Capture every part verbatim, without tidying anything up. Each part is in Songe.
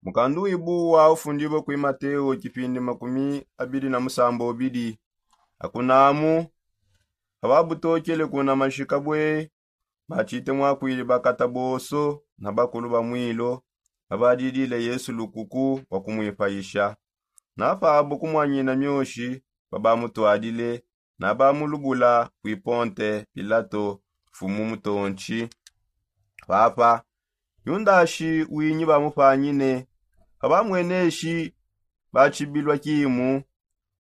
Mukandu wibuwa ufundibue kui mateo kipindi makumi abidi na musamba ubidi. Akunamu ababutokele kuna mashika bwe batshite mwakwidi bakata bonso na bakulu ba mwilo babadidile yesu lukuku wa kumwipayisha. Napabo kumwanyina mioshi babamutwadile nabamulubula kwi ponte pilato mfumu mutontshi. Papa yundashi winyi bamupanyine. Abamweneshi batshibilwa kimu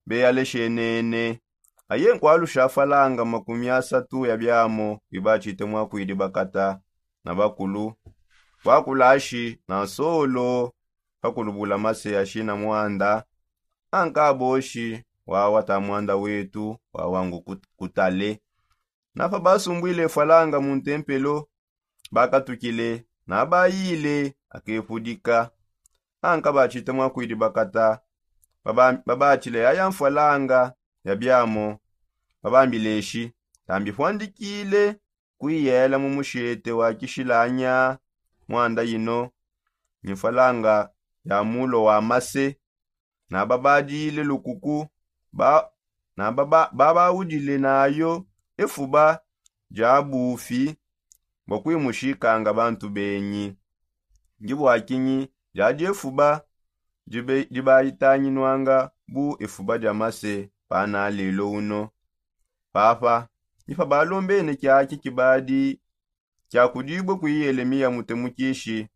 beyaleshenene aye nkwalusha falanga makumi asatu ya biamo bibatshite mwakwidi bakata na bakulu. Kwakulashi na nsolo pakulubula mase ashi na mwanda ankaboshi wawa ta mwanda wetu wawangu kutale. Napa basumbwile falanga mu ntempelo bakatukile nabayile akepudika. Anka batshite mwakwidi bakata babatshile yaya mfwalanga ya biamo. Babambileshi tambi fwandikile kwiyela mu mushete wa kishilanya mwanda yino ni mfwalanga ya mulo wa mase. Nababadile lukuku ba nababa babawudile nayo efuba dia bufi bua kuimushikanga bantu benyi. Ndi bua kinyi diadi efuba dibayitanginuanga bu efuba dia mase pana lelo uno? Papa ni pabalombene kiaki kibadi kiakudibue kui yelemiya mutemukishi.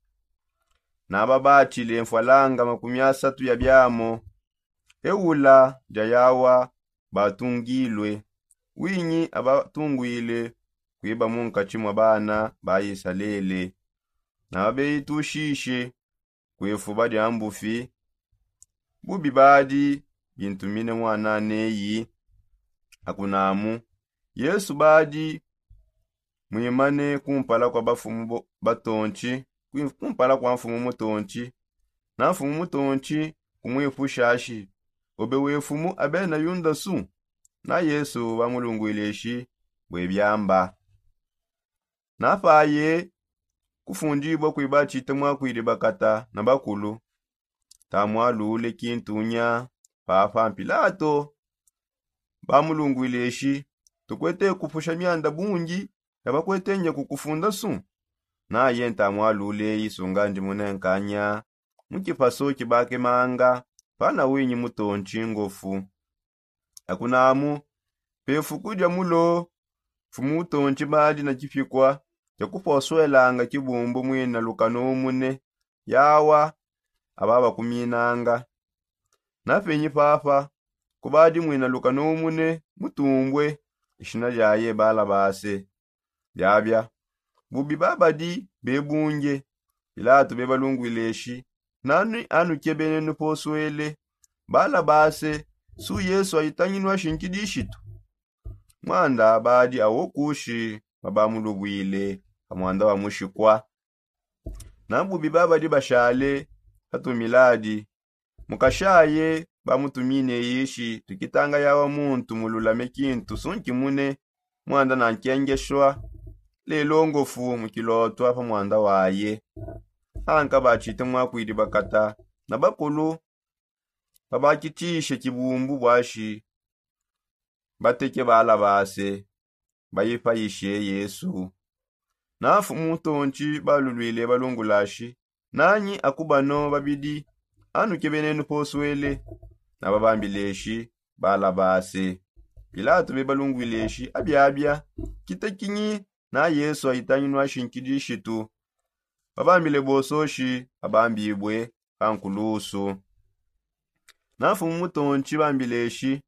Nababatshile mfwalanga makumi asatu ya biamo eula dia yawa batungilue winyi abatungwile kuiba munkatshi mua bana ba isalele. Nababeyitushishe kuefuba dia mbufi. Bubi badi bintumine mwana neyi. Akunamu yesu badi mwimane kumpala kua bafumu batontshi kumpala kua mfumu mutontshi. Na mfumu mutontshi kumwipusha ashi ube we mfumu abena yunda su? Na yesu bamulungwile eshi bue biamba. Napaye kufundibua kui batshite mwakwidi bakata na bakulu tamwalule kintunya. Papa mpilato bamulungwile eshi tukuete kupusha mianda bungi ya bakuete ndia kukufunda su? Naye ntamwalule isunga ndi munenkanya mu kipaso kibakemanga pana winyi mutontshi ngofu. Akunamu pefuku dia mulo mfumu utontshi badi na kipikua kia kuposuelanga kibumbu mwina lukanu umune yawa ababakuminanga. Napenyi papa kubadi mwina lukanu umune mutumbue ishina diaye balabase. Biabia bubi babadi bebunge. Pilato bebalungwile eshi nani anukebene nuposuele balabase su yesu ayitanginua shinkidishitu? Mwanda badi awo kushi babamulubwile pa mwanda wa mushikua. Na bubi babadi bashale patumiladi mukashaye bamutumine ishi tukitanga yawa muntu mululame kintu sunkimune mwanda na nkengeshua lelongofu mukilotwa pa mwanda waye. Anka batshite mwakwidi bakata na bakulu babakitshishe kibumbu buashi bateke balabase bayipayishe yesu. Na mfumu mutontshi balulwile balungulashi nanyi akubano babidi anukebene nuposuele? Nababambileshi balabase. Pilato bebalungwileshi abiabia kitekinyi na yesu ayitanginua shinkidishitu? Babambile bososhi abambibue pa nkulusu. Na mfumu mutontshi bambileshi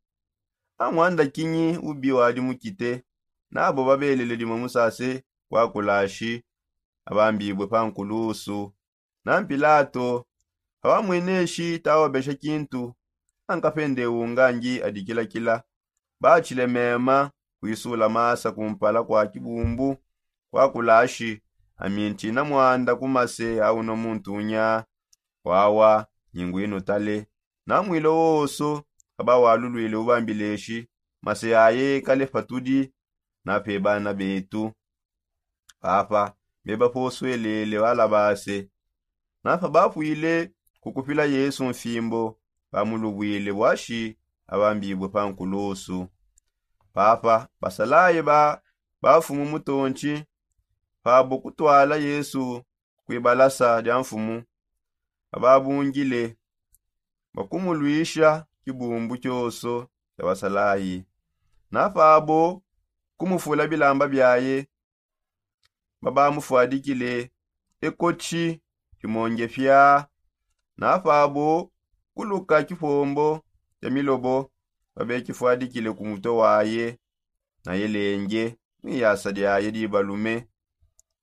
amwanda kinyi ubi wadi mukite? Nabo babelele dimue musase kuakulashi abambibue pa nkulusu. Na mpilato abamweneshi tawabesha kintu ankapende unga ngi adikilakila batshile mema kuisula masa kumpala kua kibumbu kuakulashi amintshina mwanda ku mase auna muntu unya wawa nyinguinu tale. Na mwilo wonso abawalulwile ubambileshi mase aye kale patudi na pe bana betu. Papa bebaposuelele balabase. Na pabapwile kukupila yesu mfimbo bamulubwile bwashi abambibwe pa nkulusu. Papa basalaye ba bafumu mutonchi pabo kutwala yesu kwibalasa dia mfumu bababungile bakumulwisha kibumbu kyoso kya basalayi. Na pabo kumufula bilamba byaye babamufwadikile ekochi kimonge pya. Na pabo kuluka kipombo kya milobo babekifwadikile ku mutwe waye na yelenge mwiyasa lyaye libalume.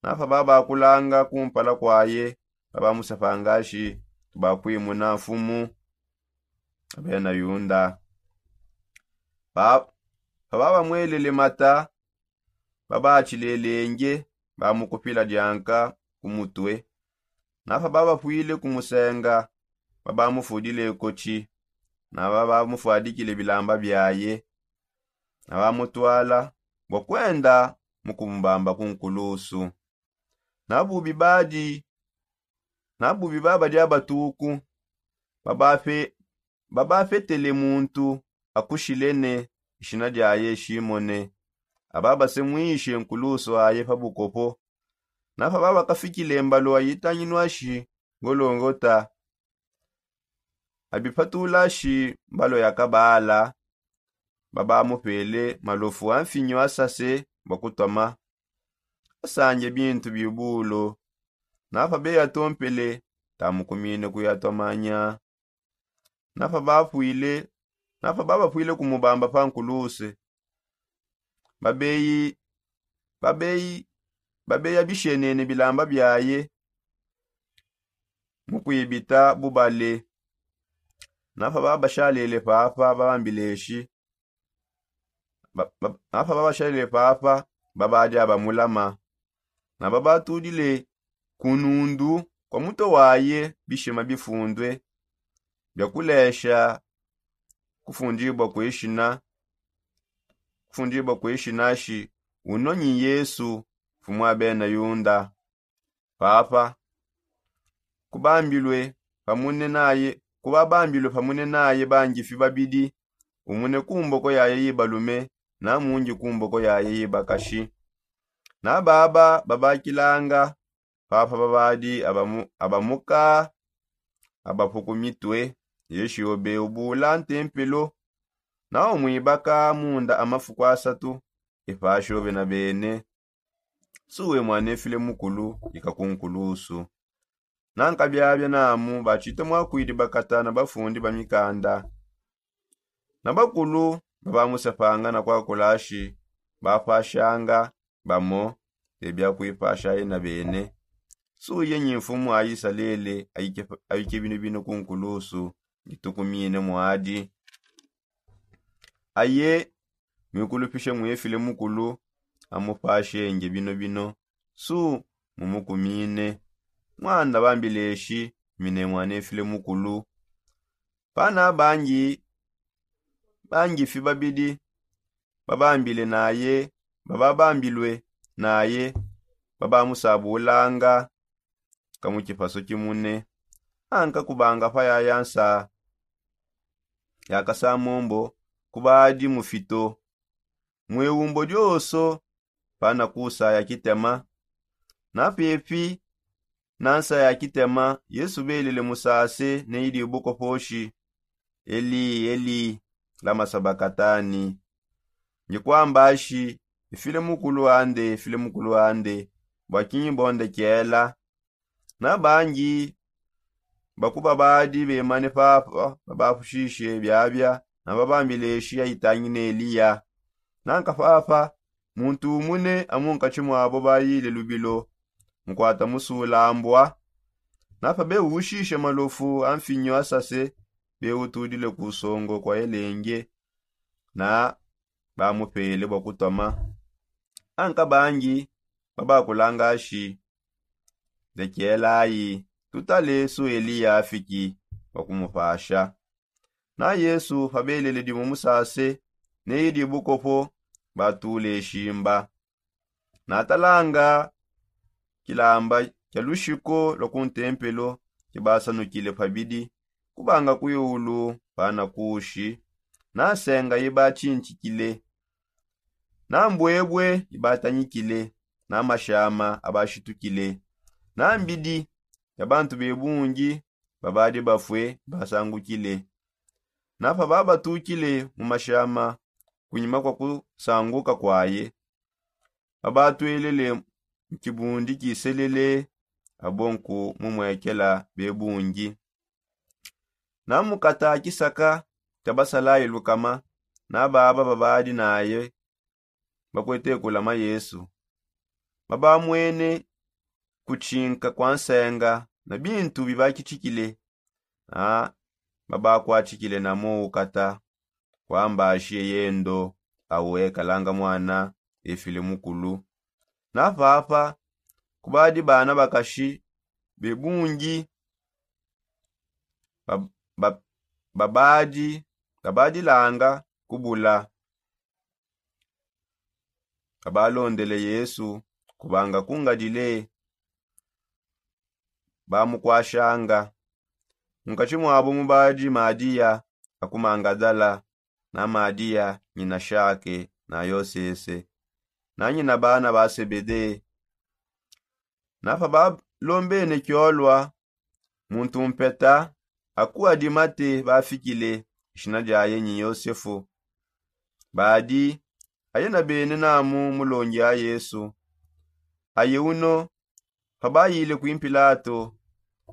Na pabo bakulanga kumpala kwaye babamusepanga shi tubakwimuna mfumu abena yunda. Pabo babamwelele mata babachilelenge bamukupila dianka ku mutwe. Na pabo babapwile kumusenga babamufudile ekochi na babamufwadikile bilamba byaye na bamutwala bwa kwenda mu kumubamba ku nkulusu. Na bubi badi na bubi babadi abatuku babafe babafetele muntu akushilene ishina lyaye shimone ababasemwishe nkulusu aye pa bukopo. Na pabo babakafikile mbalo ayitanginwa shi ngolongota abipatula shi mbalo ya kabala babamupele malofu a mfinyo asase bwa kutoma asanje bintu bibulo. Na pabo beyatompele tamukumine kuyatomanya. Na pabo babapwile na pabo babapwile kumubamba pa nkuluse babeyi babeyi babeya bishenene bilamba byaye mu kwibita bubale. Na pabo babashalele papa babambileshi na pabo babashalele papa babadi abamulama na babatudile ku nundu kwa mutwe waye bishima bifundwe bya kulesha kufundibwa kwishina kufundibwa kwishina shi uno nyi yesu mfumu a bena yunda. Papa kubambilwe pamune naye kuba bambilwe pamune naye bangifi babidi umune ku mboko yaye yibalume na mungi ku mboko yaye yibakashi. Na baba babakilanga papa babadi abamuka abapuku mitwe yeshiyo beubula ntempelo na umwibaka munda amafuku asatu epashobe na bene. Suwe mwanefile mukulu ika ku nkulusu. Nanka byabya namu bachita mwakwidi bakata na bafundi ba mikanda na bakulu babamusepanga na kwakulashi bapashanga bamo ebya kwipasha aye na bene. Suye nyi mfumu a isalele ayike bino bino ku nkulusu ngitukumine mwadi aye mwikulupishe mwefile mukulu amupashenge bino bino. Su mumukumine mwana bambileshi mine mwanefile mukulu. Pana bangi bangifi babidi babambile naye bababambilwe naye babamusabulanga ka mu kipaso kimune. Anka kubanga pa yaya nsa ya kasamombo kubadi mufito mweumbo dioso pana kusa ya kitema na pepi na nsa ya kitema yesu belele musase ne idi bukoposhi eli eli lama sabakatani. Ngikwamba shi ifile mukulu ande ifile mukulu ande bwakinyi bonde kiela. Na bangi bakuba badi bemane papa babapushishe byabya na babambileshi ayitangi ne eliya. Nanka papa muntu umune amunkachi mwabo bayile lubilo mukwata musulambwa. Na pabeushishe malofu a mfinyo asase beutudile ku songo kwa elenge na bamupele bwa kutoma. Anka bangi babakulanga shi lekelayi tutale su eliya afiki bwa kumupasha. Na yesu pabelele dimo musase neyi dibukopo batule shimba natalanga kilamba kya lushiko lwa ku ntempelo kibasanukile pabidi kubanga kwiulu pana kushi, na nsenga ibatshintshikile, na mbwebwe ibatanyikile, na mashama abashitukile, na mbidi ya bantu bebungi babadi bafue basangukile. Na pababatukile mu mashama kunyima kua kusanguka kuaye, babatwelele mu kibundi kiselele, abo nku mumuekela bebungi. Na mukata kisaka tabasalaye lukama, na baba babadi naye bakuete kulama Yesu, babamwene kutshinka kua nsenga na bintu bibakitshikile, na babakuatshikile na moukata kua mbashi eyendo, awe kalanga muana efile mukulu. Na papa kubadi bana bakashi bebungi ba- ba- babadi babadilanga kubula, abalondele Yesu kubanga kungadile bamukuashanga. Munkatshi muabo mubadi Madiya akumangadala, na Madiya nyina Shake na Yosese, na nyina bana ba Sebede. Na pabalombene kiolua, muntu mpeta aku Adimate bafikile, ishina diaye nyi Yosefu. Badi aye na bene namu mulongi a Yesu. Aye uno pabayile kui Mpilato,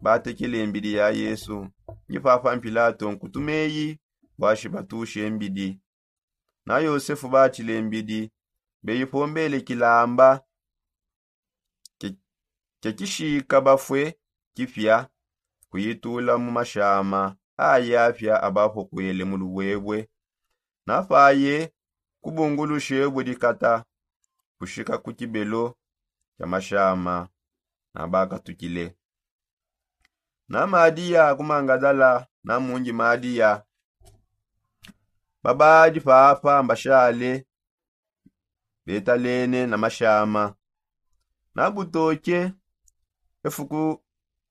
batekele mbidi ya Yesu. Nyi papa Mpilato nkutumeyi bua shibatushe mbidi. Na Yosefu batshile mbidi, beyipombele kilamba kia kishika bafue kipia, kuyitula mu mashama aye apia abapokuele mu lubwebwe. Na paye kubungulushe budikata kushika ku kibelo kia mashama, na bakatukile. Na Madiya ku Mangadala na mungi Madiya babadi papa mbashale betalene na mashama. Na butoke efuku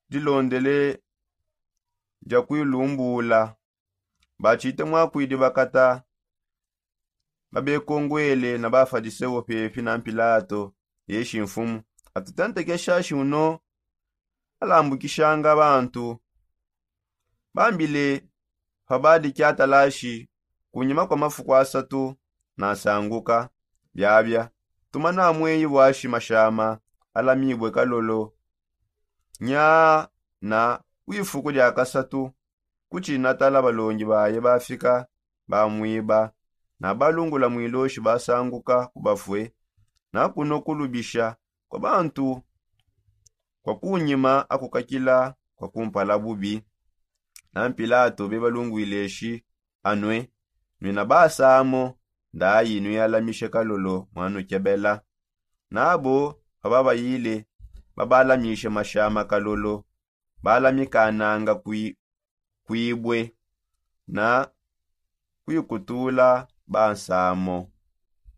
dilondele dia kuilumbula, batshite muakuidi bakata babekongwele na Bafadiseo pepi na Mpilato, eshi mfumu, atutentekesha shi uno alambukishanga bantu. Bambile pabadi kiatalashi, kunyima kua mafuku asatu nasanguka. Biabia tumana mueyi bua shi mashama alamibue kalolo. Nya na ku ifuku dia kasatu kutshi natala balongi baye bafika, bamuiba, na balungula muiloshi basanguka ku bafue. Na kuno kulubisha kua bantu kua kunyima akukakila kua kumpala bubi. Na Mpilato bebalunguile shi anue, nuina basamo ndayi nuialamishe kalolo muanukebela. Nabo pababayile babalamishe mashama kalolo, balamikananga kui kuibue na kuikutula bansamo.